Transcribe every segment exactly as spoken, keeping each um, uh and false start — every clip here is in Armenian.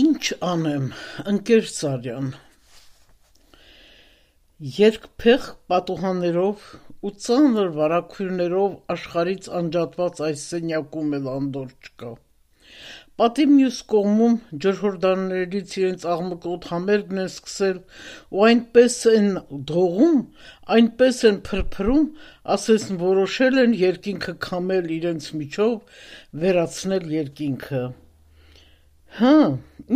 Ինչ անեմ, ընկեր Սարյան, երկփեղ պատուհաններով ու ծանր վարագույրներով աշխարհից անջատված այս սենյակում էլ անդորր չկա: Պատի մյուս կողմում ջրհորդաններից իրենց աղմկոտ համերգն են սկսել ու այնպես են դողում, այնպես են փրփրում, ասես որոշել են երկինքը քամել իրենց միջով, վերացնել երկինքը: Հը,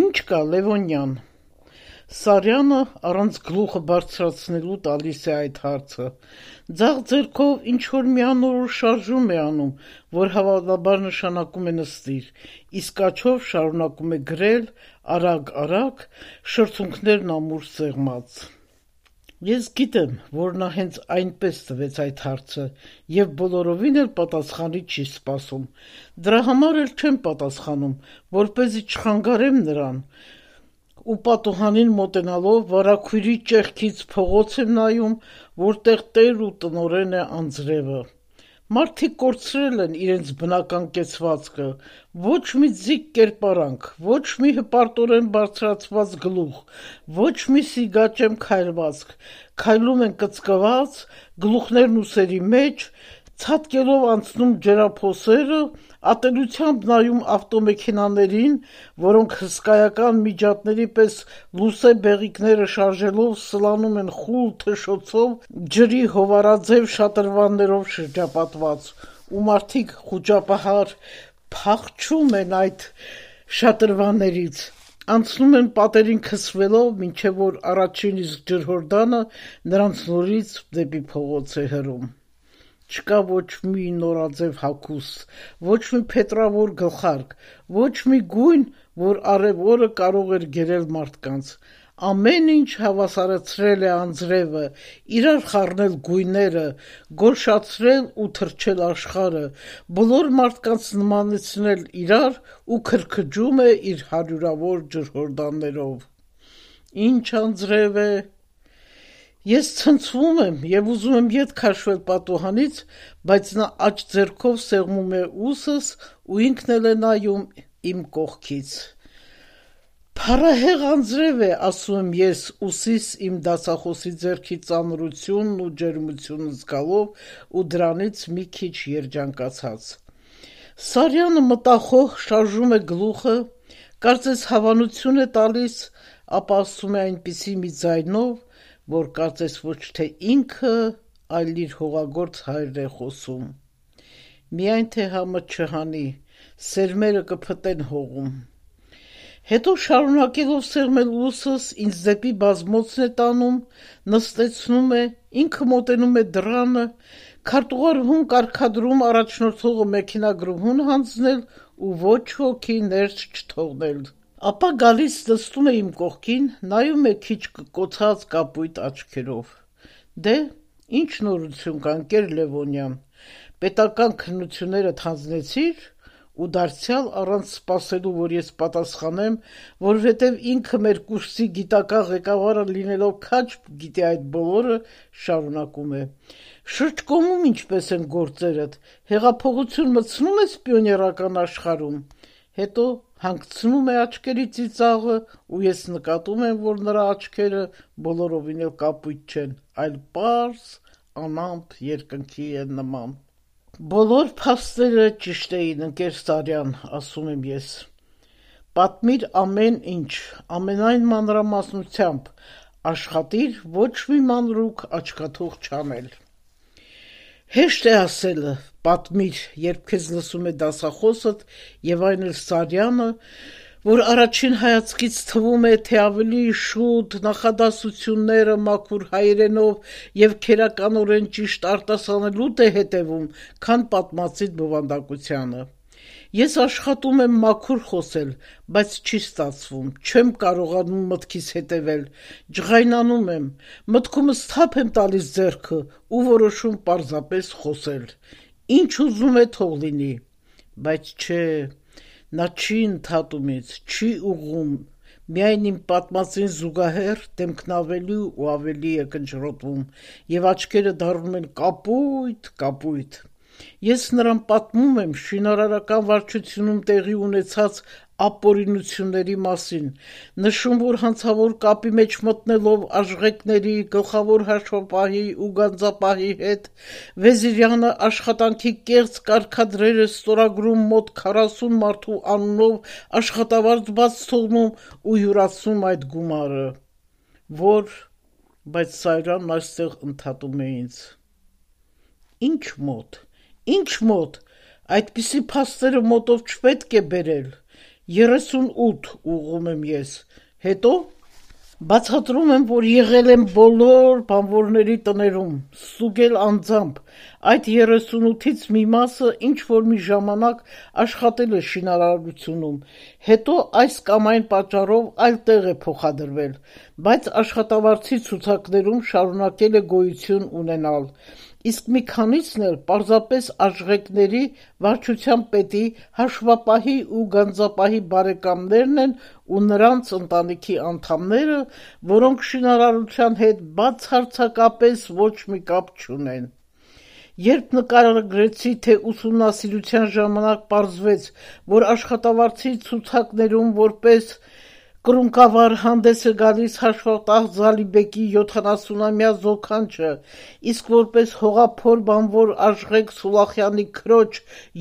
ինչ կա, Լևոնյան: Սարյանը առանց գլուխը բարձրացնելու տալիս է այդ հարցը: Ձախ ձեռքով ինչ-որ մի անորոշ շարժում է անում, որ հավանաբար նշանակում է նստիր, իսկ աջով շարունակում է գրել արագ-արագ, շրթունքներն ամուր սեղմած: Ես գիտեմ, որ նա հենց այնպես տվեց այդ հարցը և բոլորովին էլ պատասխանի չի սպասում: Դրա համար էլ չեմ պատասխանում, որպեսզի չխանգարեմ նրան ու պատուհանին մոտենալով վարագույրի ճեղքից փողոց եմ նայում, որտեղ տեր ու տնօրեն է անձրևը: Մարդիկ կորցրել են իրենց բնական կեցվածքը, ոչ մի ձիգ կերպարանք, ոչ մի հպարտորեն բարձրացված գլուխ, ոչ մի սիգաճեմ քայլվածք, քայլում են կծկված, գլուխներն ուսերի մեջ, ցատկելով անցնում ջրափոսերը, ատելությամբ նայում ավտոմեքենաներին, որոնք հսկայական միջատների պես լուսե բեղիկները շարժելով սլանում են խուլ թշոցով ջրի հովանաձև շատրվաններով շրջապատված, ու մարդիկ խուճապահար փախչում են այդ շատրվաններից, անցնում են պատերին քսվելով, մինչև որ առաջին իսկ ջրհորդանը նրանց նորից դեպի փողոց է հրում: Չկա ոչ մի նորաձև հագուստ, ոչ մի փետրավոր գլխարկ, ոչ մի գույն, որ առև օրը կարող էր գերել մարդկանց: Ամեն ինչ հավասարացրել է անձրևը, իրար խառնել գույները, գոլշացրել ու թրջել աշխարհը, բոլոր մարդկանց նմանեցնել իրար ու քրքջում է իր հարյուրավոր ջրհորդաններով: Ինչ անձրև է: Ես ցնցվում եմ և ուզում եմ ետ քաշվել պատուհանից, բայց նա աջ ձեռքով սեղմում է ուսս ու ինքն էլ է նայում իմ կողքից: Փառահեղ անձրև է, ասում եմ ես ուսիս իմ դասախոսի ձեռքի ծանրությունն ու ջերմությունը զգալով ու դրանից մի քիչ երջանկացած: Սարյանը մտախոհ շարժում է գլուխը, կարծես հավանություն է տալիս, ապա ասում է այնպիսի մի ձայնով, որ կարծես ոչ թե ինքը, այլ իր հողագործ հայրն է խոսում: Միայն թե համը չհանի, սերմերը կփտեն հողում: Հետո շարունակելով սեղմել ուսս, ինձ դեպի բազմոցն է տանում, նստեցնում է, ինքը մոտենում է դռանը, քարտուղարուհուն կարգադրում առաջնորդողը մեքենագրուհուն հանձնել ու ոչ ոքի ներս չթողնել: Ապա գալիս նստում է իմ կողքին, նայում է քիչ կկոցած կապույտ աչքերով: Դե, ի՞նչ նորություն կա, ընկեր Լևոնյան: Պետական քննություններդ հանձնեցի՞ր: Ու դարձյալ առանց սպասելու, որ ես պատասխանեմ, որովհետև ինքը մեր կուրսի գիտական ղեկավարը լինելով քաջ գիտի այդ բոլորը, շարունակում է. Շրջկոմում ինչպե՞ս են գործերդ: Հեղափոխություն մտցնու՞մ ես պիոներական աշխարհում: Հետո հանգցնում է աչքերի ծիծաղը ու ես նկատում եմ, որ նրա աչքերը բոլորովին էլ կապույտ չեն, այլ պարզ, անամպ երկնքի են նման: Բոլոր փաստերը ճիշտ էին, ընկեր Սարյան, ասում եմ ես: Պատմիր ամեն ինչ, ամենայն մանրամասնությամբ, աշխատիր ոչ մի մանրուք աչքաթող չանել: Հեշտ է ասելը, պատմիր, երբ քեզ լսում է դասախոսդ և այն էլ Սարյանը, որ առաջին հայացքից թվում է, թե ավելի շուտ նախադասությունները մաքուր հայերենով և քերականորեն ճիշտ արտասանելուդ է հետևում, քան պատմածիդ բովանդակությանը: Ես աշխատում եմ մաքուր խոսել, բայց չի ստացվում, չեմ կարողանում մտքիս հետևել, ջղայնանում եմ, մտքումս թափ եմ տալիս ձեռքը ու որոշում պարզապես խոսել: Ինչ ուզում է թող լինի: Բայց չէ, նա չի ընդհատում ինձ, չի ուղղում, միայն իմ պատմածին զուգահեռ դեմքն ավելի ու ավելի է կնճռոտվում և աչքերը դառնում են կապույտ, կապույտ: Ես նրան պատմում եմ շինարարական վարչությունում տեղի ունեցած ապօրինությունների մասին, նշում, որ հանցավոր կապի մեջ մտնելով Աշխենների, գլխավոր հաշվապահի ու գանձապահի հետ Վեզիրյանը աշխատանքի կեղծ կարգադրերը ստորագրում մոտ քառասուն մարդու անունով աշխատավարձ բաց թողնում ու յուրացնում այդ գումարը, որ, բայց Սարյանն այստեղ ընդհատում է ինձ. Ինչ մոտ, ինչ մոտ, այդպիսի փաստերը մոտով չպետք է բերել, երեսունութ ուղղում եմ ես, հետո բացատրում եմ, որ եղել եմ բոլոր բանվորների տներում, ստուգել անձամբ, այդ երեսունութից մի մասը ինչ-որ մի ժամանակ աշխատել է շինարարությունում, հետո այս կամ այն պատճառով այլ տեղ է փոխադրվել, բայց աշխատավարձի ցուցակներում շարունակել է գոյություն ունենալ, իսկ մի քանիսն էլ պարզապես Աշխենների, վարչության պետի, հաշվապահի ու գանձապահի բարեկամներն են ու նրանց ընտանիքի անդամները, որոնք շինարարության հետ բացարձակապես ոչ մի կապ չունեն: Երբ նկարագրեցի, թե ուսումնասիրության ժամանակ պարզվեց, որ աշխատավարձի ցուցակներում որպես կռունկավար հանդես է գալիս հաշվատար Զալիբեկի յոթանասունամյա զոքանչը, իսկ որպես հողափոր բանվոր Աշխեն Սուլախյանի քրոջ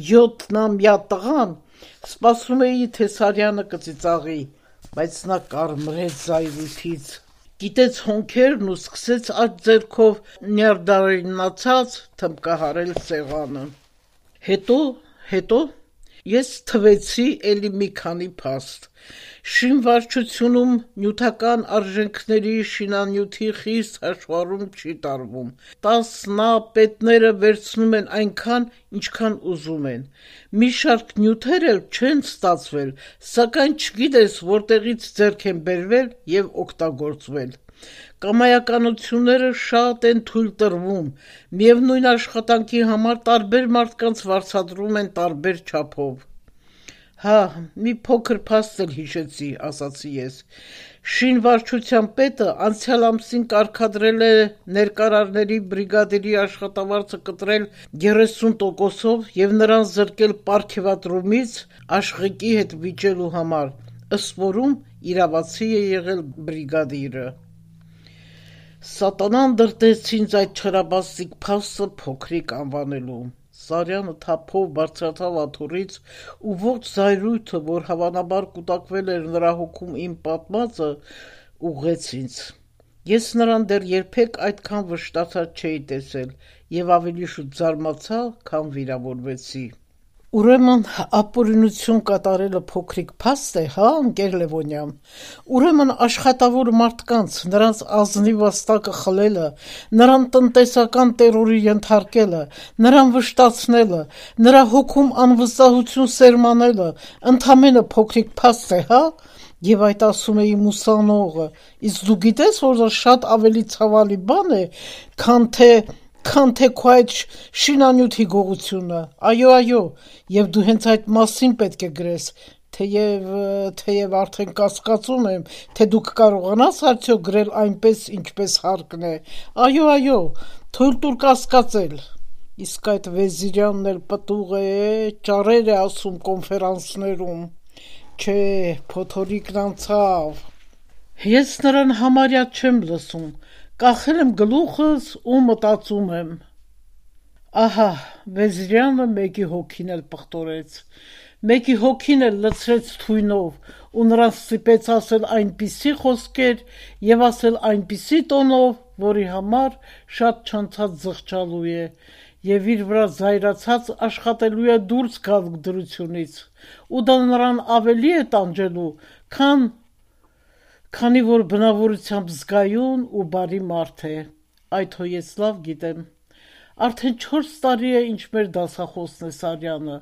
յոթնամյա տղան, սպասում էի, թե Սարյանը կծիծաղի, բայց նա կարմրեց զայրույթից, կիտեց հոնքերն ու սկսեց աջ ձեռքով նյարդայնացած թմբկահարել սեղանը: Հետո, հետո, ես թվեցի էլի մի քանի փաստ: Շինվարչությունում նյութական արժեքների շինանյութի խիստ հաշվառում չի տարվում, տասնա պետները վերցնում են այնքան, ինչքան ուզում են, մի շարք նյութեր էլ չեն ստացվել, սակայն չգիտես որտեղից ձեռք են բերվել և օգտագործվել: Կամայականությունները շատ են թույլ տրվում, միևնույն աշխատանքի համար տարբեր մարդկանց վարձատրում են տարբեր չափով: Հա, մի փոքր փաստ էլ հիշեցի, ասացի ես: Շինվարչության պետը անցյալ ամսին կարգադրել է ներկարարների բրիգադիրի աշխատավարձը կտրել երեսուն տոկոսով և նրան զրկել պարգևատրումից Աշխենի հետ վիճելու համար, ըստ որում իրավացի է եղել բրիգադիրը: Սատանան դրդեց ինձ այդ չարաբաստիկ փաստը փոքրիկ անվանելու: Սարյանը թափով բարձրացավ աթոռից ու ողջ զայրույթը, որ հավանաբար կուտակվել էր նրա հոգում իմ պատմածը, ուղղեց ինձ: Ես նրան դեռ երբեք այդքան վշտացած չէի տեսել և ավելի շուտ զարմացա, քան վիրավորվեցի: Ուրեմն ապօրինություն կատարելը փոքրիկ փաստ է, հա, ընկեր Լևոնյան: Ուրեմն աշխատավոր մարդկանց, նրանց ազնիվ վաստակը խլելը, նրան տնտեսական տերորի ենթարկելը, նրան վշտացնելը, նրա հոգում անվստահություն սերմանելը ընդամենը փոքրիկ փաստ է, հա: Եվ այդ ասում է իմ ուսանողը: Իսկ դու գիտես, որ դա շատ ավելի ցավալի բան է, քան թե, քան թե քո այդ շինանյութի գողությունը: Այո, այո, և դու հենց այդ մասին պետք է գրես, թեև, թեև արդեն կասկածում եմ, թե դու կկարողանաս արդյոք գրել այնպես, ինչպես հարկն է: Այո, այո, թույլ տուր կասկածել: Իսկ այդ Վեզիրյանն էլ պտուղ է, ճարեր է ասում կոնֆերանսներում: Չէ, փոթորիկն անցավ: Ես նրան համարյա չեմ լսում, կախել եմ գլուխս ու մտածում եմ: Ահա, Վեզիրյանը մեկի հոգին էլ պղտորեց, մեկի հոգին էլ լցրեց թույնով ու նրան ստիպեց ասել այնպիսի խոսքեր և ասել այնպիսի տոնով, որի համար շատ չանցած զղջալու է և իր վրա զայրացած աշխատելու է դուրս գալ դրությունից, ու դա նրան ավելի է տանջելու, քան, քանի որ բնավորությամբ զգայուն ու բարի մարդ է: Այդ հո ես լավ գիտեմ: Արդեն չորս տարի է, ինչ մեր դասախոսն է Սարյանը: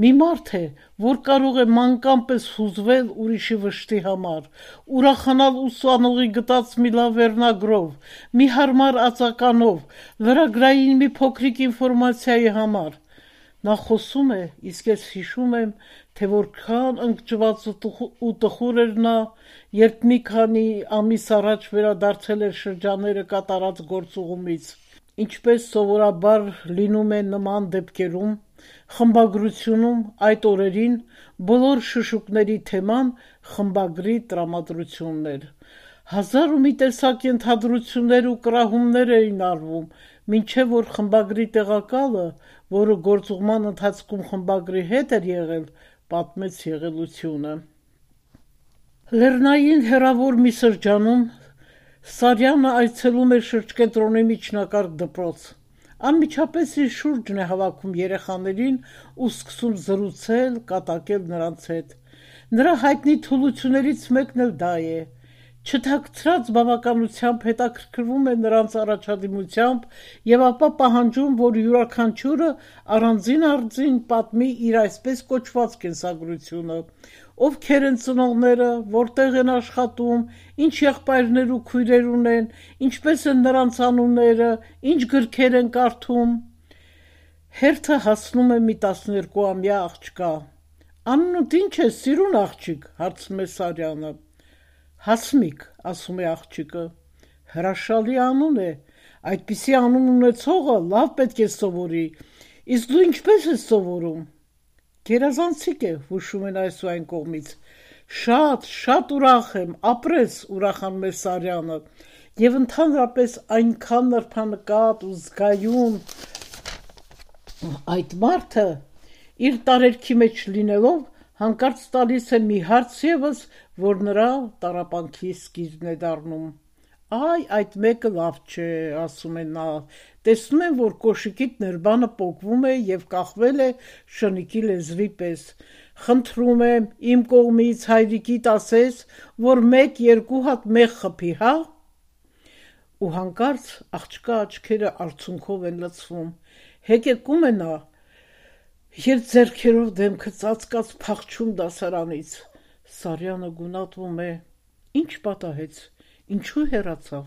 Մի մարդ է, որ կարող է մանկան պես հուզվել ուրիշի վշտի համար, ուրախանալ ուսանողի գտած մի լավ վերնագրով, մի հարմար ածականով, լրագրային մի փոքրիկ ինֆորմացիայի համար: Նա խոսում է, իսկ ես հիշում եմ, թե որքան ընկճված ու տխուր էր նա, երբ մի քանի ամիս առաջ վերադարձել էր շրջաները կատարած գործուղումից: Ինչպես սովորաբար լինում է նման դեպքերում, խմբագրությունում այդ օրերին բոլոր շշուկների թեման խմբագրի տրամադրությունն էր։ Հազար ու մի տեսակ ենթադրություններ ու կռահումներ էին արվում, մինչև որ խմբագրի տեղակալը, որը գործուղման ընթացքում խմբագրի հետ էր եղել, պատմեց եղելությունը։ Լեռնային հեռավոր մի սրճանում Սարյանը այցելում էր շրջկենտրոնի միջնակարգ դպրոց։ Անմիջապես իր շուրջն է հավաքում երեխաներին ու սկսում զրուցել, կատակել նրանց հետ։ Նրա հայտնի թուլություններից մեկն էլ դա է։ Չթաքցրած բավականությամբ հետաքրքրվում է նրանց առաջադիմությամբ եւ ապա պահանջում, որ յուրաքանչյուրը առանձին առձին պատմի իր այսպես կոչված կենսագրությունը, ովքեր են ծնողները, որտեղ են աշխատում, ինչ եղբայրներ ու քույրեր ունեն, ինչպես են նրանց անունները, ինչ գրքեր են կարդում։ Հերթը հասնում է մի տասներկուամյա աղջկա։ «Անունդ ինչ է, սիրուն աղջիկ», հարցնում է Սարյանը։ «Հասմիկ», ասում է աղջիկը։ «Հրաշալի անուն է, այդպիսի անուն ունեցողը լավ պետք է սովորի, իսկ դու ինչպես ես սովորում»։ «Գերազանցիկ է», հուշում են այս ու այն կողմից։ «Շատ, շատ ուրախ եմ, ապրես», ուրախանում է Սարյանը, եւ ընդհանրապես այնքան նրբանկատ ու զգայուն այդ մարդը, իր տարերքի մեջ լինելով, հանկարծ տալիս է մի հարց ևս, որ նրա տառապանքի սկիզբն է դառնում։ «Այ, այդ մեկը լավ չէ», ասում է նա, «տեսնում եմ, որ կոշիկիդ ներբանը պոկվում է եւ կախվել է շնիկի լեզվի պես։ Խնդրում եմ, իմ կողմից հայրիկիդ ասես, որ մեկ-երկու հատ մեղ խփի, հա»։ Ու հանկարծ աղջկա աչքերը արցունքով են լցվում։ Հեկեկում է նա, երբ ձեռքերով դեմքը ծածկած փախչում դասարանից։ Սարյանը գունատվում է։ Ինչ պատահեց, ինչու հեռացավ,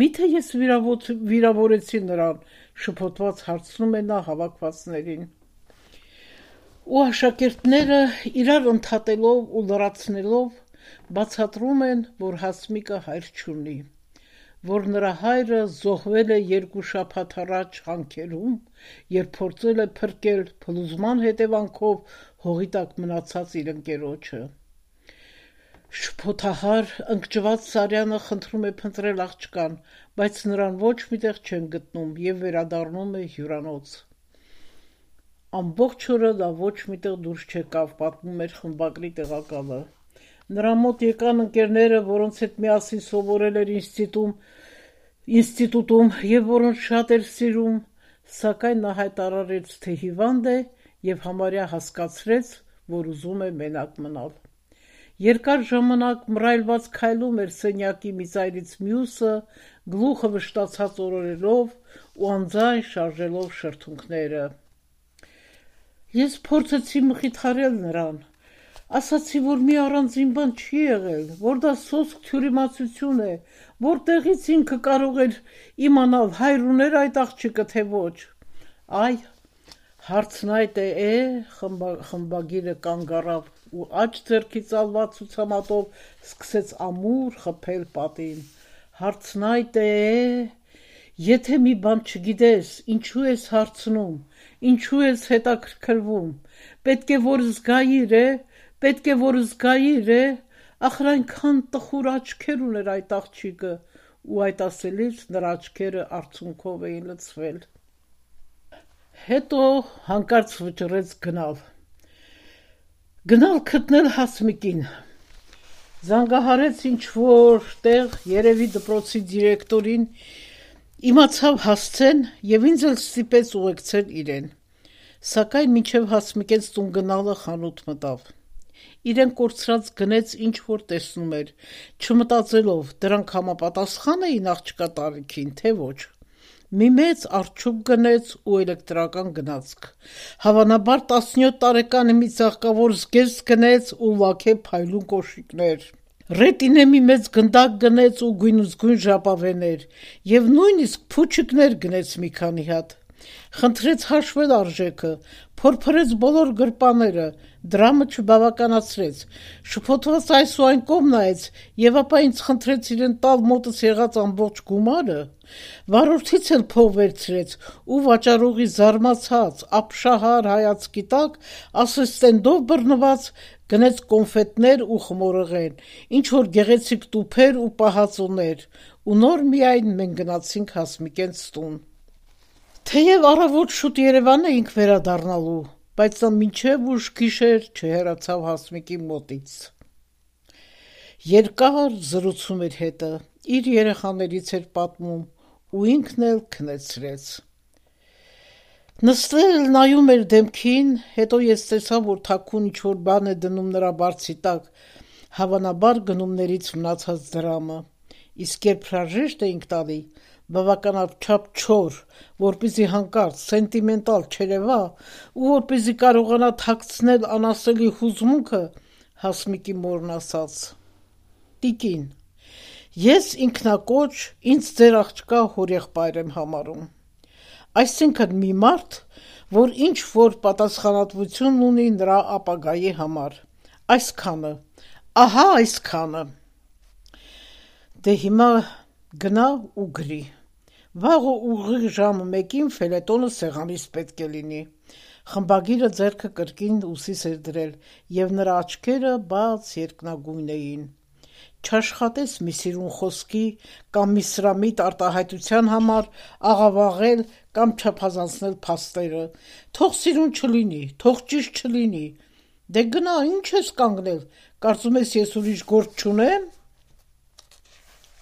միթե ես վիրավորեցի նրան, շփոթված հարցնում է նա հավաքվածներին։ Ու աշակերտները իրար ընդհատելով ու լրացնելով բացատրում են, որ Հասմիկը հայր չունի, որ նրա հայրը զոհվել է երկու շաբաթ առաջ հանքերում, երբ փորձել է փրկել փլուզման հետևանքով հողի տակ մնացած իր ընկերոջը։ Շփոթահար, ընկճված Սարյանը խնդրում է փնտրել աղջկան, բայց նրան ոչ մի տեղ չեն գտնում եւ վերադառնում է հյուրանոց։ Ամբողջ օրը նա ոչ մի տեղ դուրս չեկավ, պատմում էր խմբագրի տեղակալը։ Նրա մոտ եկան ընկերները, որոնց հետ միասին սովորել էր ինստիտուտում, ինստիտուտում եւ որոնց շատ էր սիրում, սակայն նա հայտարարեց, թե հիվանդ է եւ համարյա հասկացրեց, որ ուզում է մենակ մնալ։ Երկար ժամանակ մռայլված քայլում էր սենյակի մի ծայրից մյուսը, գլուխը վշտացած օրորելով ու անձայն շարժելով շրթունքները։ Ես փորձեցի մխիթարել նրան, ասացի, որ մի առանձին բան չի եղել, որ դա սոսկ թյուրիմացություն է, որտեղից ինքը կարող էր իմանալ հայր ուներ այդ աղջիկը, թե ոչ։ Այ, հարցն այդ է, է, խմբագիրը կանգ առավ ու աջ ձեռքի ծալված ցուցամատով սկսեց ամուր խփել պատին։ Հարցն այդ է, եթե մի բան չգիտես, ինչու ես հարցնում, ինչու ես հետաքրքրվում, պետք է որ զգայիր է, պետք է որ զգայիր է, ախր այնքան տխուր աչքեր ուներ այդ աղջիկը, ու այդ ասելից նրա աչքերը արցունքով էին լցվել։ Հետո հանկարծ վճռեց գնալ։ Գնալ գտնել Հասմիկին։ Զանգահարեց ինչ-որ տեղ, երևի դպրոցի դիրեկտորին, իմացավ հասցեն եւ ինձ էլ ստիպեց ուղեկցել իրեն։ Սակայն մինչև Հասմիկենց տուն գնալը խանութ մտավ։ Իրեն կորցրած գնեց ինչ որ տեսնում էր, չմտածելով, դրանք համապատասխան էին աղջկա տարիքին, թե ոչ։ Մի մեծ արջուկ գնեց ու էլեկտրական գնացք։ Հավանաբար տասնյոթ տարեկան մի ծաղկավոր զգեստ գնեց ու լաքե փայլուն կոշիկներ։ Ռետինե մի մեծ գնդակ գնեց ու գույնզգույն ժապավեներ, եւ նույնիսկ փուչիկներ գնեց մի քանի հատ։ Խնդրեց հաշվել արժեքը, փորփրեց բոլոր գրպաները, դրամը չբավականացրեց, շփոթված այս ու այն կողմ նայեց եւ ապա ինձ խնդրեց իրեն տալ մոտս եղած ամբողջ գումարը, վարորդից էլ փող վերցրեց ու վաճառողի զարմացած, ապշահար հայացքի տակ ասեստենդով բռնված գնեց կոնֆետներ ու խմորեղեն, ինչ որ գեղեցիկ տուփեր ու պահածոներ, ու նոր միայն մենք գնացինք Հասմիկենց տուն։ Թեև առավոտ շուտ Երևան էինք վերադառնալու, բայց նա մինչև ուշ գիշեր չհեռացավ Հասմիկի մոտից։ Երկար զրուցում էր հետը, իր երեխաներից էր պատմում ու ինքն էլ քնեցրեց։ Նստել նայում էր դեմքին, հետո ես տեսա, որ թաքուն ինչ-որ բան է դնում նրա բարձի տակ, հավանաբար գնումներից մնացած դրամը, իսկ երբ հրաժեշտ էինք տալի, բավականաչափ չոր, որպեսզի հանկարծ սենտիմենտալ չերևա ու որպեսզի կարողանա թաքցնել անասելի հուզմունքը, Հասմիկի մորն ասաց. «Տիկին, ես ինքնակոչ ինձ ձեր աղջկա հորեղբայր եմ համարում, այսինքն մի մարդ, որ ինչ-որ պատասխանատվություն ունի նրա ապագայի համար, այսքանը, ահա այսքանը: Դե հիմա գնա ու գրի, վաղը ուղիղ ժամը մեկին ֆելետոնը սեղանիս պետք է լինի»։ Խմբագիրը ձեռքը կրկին ուսիս էր դրել, և նրա աչքերը բաց երկնագույն էին։ Չաշխատես մի սիրուն խոսքի կամ մի սրամիտ արտահայտության համար աղավաղել կամ չափազանցնել փաստերը, թող սիրուն չլինի, թող ճիշտ չլինի, դե գնա, ինչ ես կանգնել, կարծում ես ես ուրիշ գործ չունեմ: